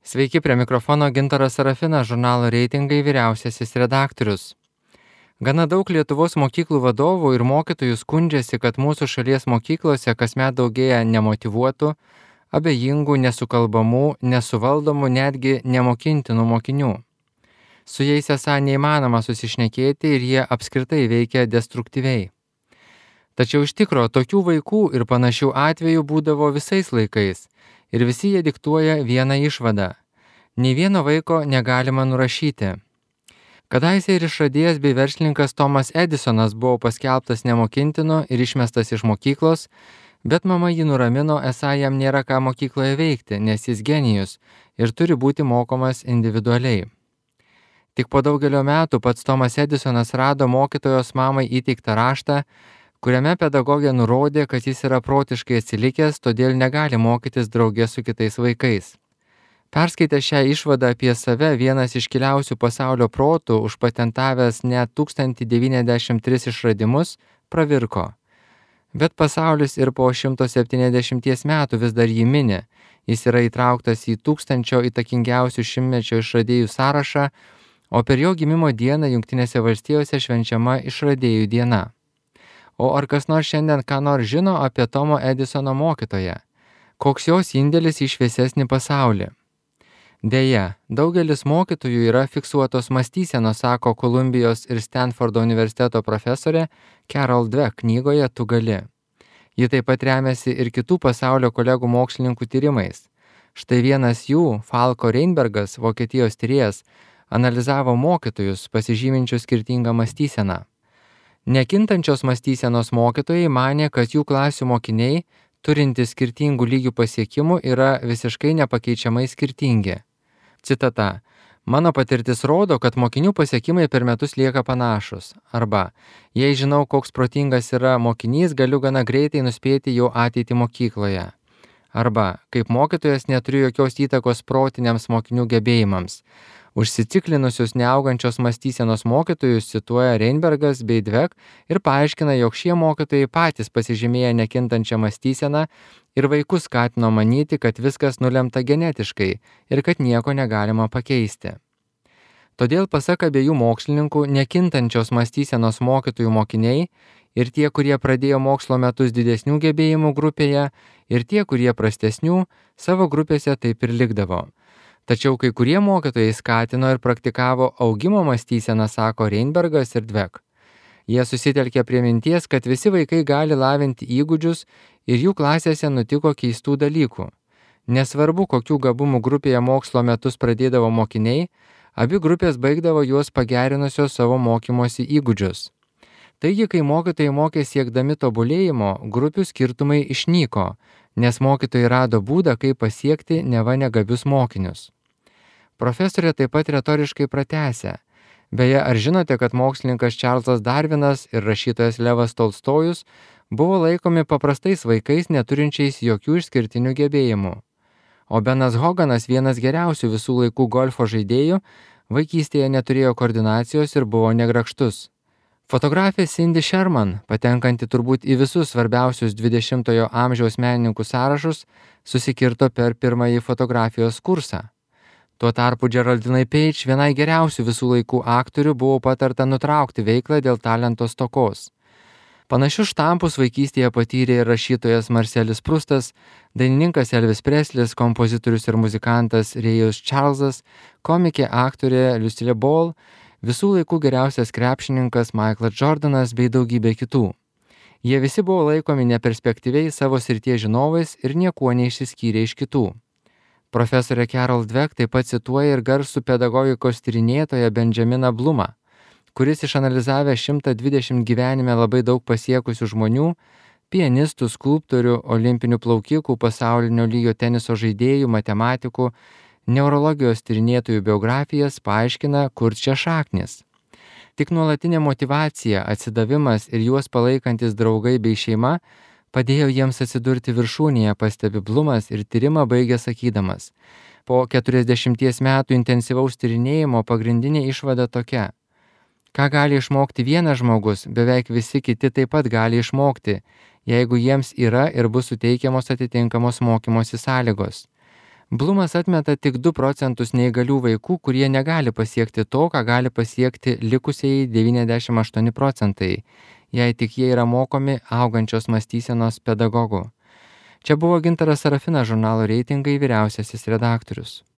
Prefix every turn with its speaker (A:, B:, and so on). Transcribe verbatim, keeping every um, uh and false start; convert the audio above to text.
A: Sveiki, prie mikrofono Gintaras Sarafinas, žurnalo Reitingai vyriausiasis redaktorius. Gana daug Lietuvos mokyklų vadovų ir mokytojų skundžiasi, kad mūsų šalies mokyklose kasmet daugėja nemotyvuotų, abejingų, nesukalbamų, nesuvaldomų, netgi nemokintinų mokinių. Su jais esą neįmanoma susišnekėti ir jie apskritai veikia destruktyviai. Tačiau iš tikro tokių vaikų ir panašių atvejų būdavo visais laikais ir visi jie diktuoja vieną išvadą. Nei vieno vaiko negalima nurašyti. Kadaise ir išradėjas bei verslininkas Tomas Edisonas buvo paskelbtas nemokintinu ir išmestas iš mokyklos, bet mama jį nuramino, esą jam nėra ką mokykloje veikti, nes jis genijus ir turi būti mokomas individualiai. Tik po daugelio metų pats Tomas Edisonas rado mokytojos mamai įteiktą raštą, kuriame pedagogė nurodė, kad jis yra protiškai atsilikęs, todėl negali mokytis drauge su kitais vaikais. Perskaitęs šią išvadą apie save, vienas iškiliausių pasaulio protų, užpatentavęs net tūkstantį devyniasdešimt tris išradimus, pravirko. Bet pasaulis ir po šimto septyniasdešimties metų vis dar jį mini. Jis yra įtrauktas į tūkstančio įtakingiausių šimtmečio išradėjų sąrašą, o per jo gimimo dieną Jungtinėse valstijose švenčiama išradėjų diena. O ar kas nors šiandien ką nors žino apie Tomo Edisono mokytoją? Koks jos indėlis į šviesesnį pasaulį? Deja, daugelis mokytojų yra fiksuotos mąstysenos, sako Kolumbijos ir Stanfordo universiteto profesorė Carol Dweck knygoje Tu gali. Ji taip pat remiasi ir kitų pasaulio kolegų mokslininkų tyrimais. Štai vienas jų, Falko Reinbergas, Vokietijos tyrėjas, analizavo mokytojus, pasižyminčius skirtingą mąstyseną. Nekintančios mąstysenos mokytojai manė, kad jų klasių mokiniai, turintys skirtingų lygių pasiekimų, yra visiškai nepakeičiamai skirtingi. Citata. Mano patirtis rodo, kad mokinių pasiekimai per metus lieka panašus. Arba, jei žinau, koks protingas yra mokinys, galiu gana greitai nuspėti jo ateitį mokykloje. Arba, kaip mokytojas neturiu jokios įtakos protiniams mokinių gebėjimams. Užsiciklinusius neaugančios mąstysenos mokytojus cituoja Reinbergas bei Dweck ir paaiškina, jog šie mokytojai patys pasižymėję nekintančią mąstyseną ir vaikus skatino manyti, kad viskas nulemta genetiškai ir kad nieko negalima pakeisti. Todėl, pasak abiejų mokslininkų, nekintančios mąstysenos mokytojų mokiniai ir tie, kurie pradėjo mokslo metus didesnių gebėjimų grupėje, ir tie, kurie prastesnių, savo grupėse taip ir likdavo. Tačiau kai kurie mokytojai skatino ir praktikavo augimo mąstyseną, sako Reinbergas ir Dweck. Jie susitelkė prie minties, kad visi vaikai gali lavinti įgūdžius ir jų klasėse nutiko keistų dalykų. Nesvarbu, kokių gabumų grupėje mokslo metus pradėdavo mokiniai, abi grupės baigdavo juos pagerinusios savo mokymosi įgūdžius. Taigi, kai mokytojai mokė siekdami tobulėjimo, grupių skirtumai išnyko, nes mokytojai rado būdą, kaip pasiekti neva negabius mokinius. Profesorė taip pat retoriškai pratęsė. Beje, ar žinote, kad mokslininkas Čarlzas Darvinas ir rašytojas Levas Tolstojus buvo laikomi paprastais vaikais neturinčiais jokių išskirtinių gebėjimų? O Benas Hoganas, vienas geriausių visų laikų golfo žaidėjų, vaikystėje neturėjo koordinacijos ir buvo negrakštus. Fotografė Cindy Sherman, patenkanti turbūt į visus svarbiausius dvidešimtojo amžiaus menininkų sąrašus, susikirto per pirmąjį fotografijos kursą. Tuo tarpu Geraldinai Page, vienai geriausių visų laikų aktorių, buvo patarta nutraukti veiklą dėl talento stokos. Panašius štampus vaikystėje patyrė ir rašytojas Marcelis Prustas, dainininkas Elvis Preslis, kompozitorius ir muzikantas Rėjus Čarlzas, komikė aktorė Lucille Ball, visų laikų geriausias krepšininkas Michaelas Jordanas bei daugybė kitų. Jie visi buvo laikomi neperspektyviai savo srities žinovais ir niekuo neišsiskyrė iš kitų. Profesorė Carol Dweck taip pat cituoja ir garsų pedagogikos tyrinėtoją Benjaminą Blumą, kuris išanalizavęs šimtą dvidešimt gyvenime labai daug pasiekusių žmonių, pianistų, skulptorių, olimpinių plaukikų, pasaulinio lygio teniso žaidėjų, matematikų, neurologijos tyrinėtojų biografijas, paaiškina, kur čia šaknis. Tik nuolatinė motyvacija, atsidavimas ir juos palaikantis draugai bei šeima padėjo jiems atsidurti viršūnėje, pastebi Blumas ir tyrimą baigė sakydamas. Po keturiasdešimties metų intensyvaus tyrinėjimo pagrindinė išvada tokia. Ką gali išmokti vienas žmogus, beveik visi kiti taip pat gali išmokti, jeigu jiems yra ir bus suteikiamos atitinkamos mokymosi sąlygos. Blumas atmeta tik du procentus neįgalių vaikų, kurie negali pasiekti to, ką gali pasiekti likusieji devyniasdešimt aštuoni procentai, jei tik jie yra mokomi augančios mąstysenos pedagogų. Čia buvo Gintaras Sarafinas, žurnalo Reitingai vyriausiasis redaktorius.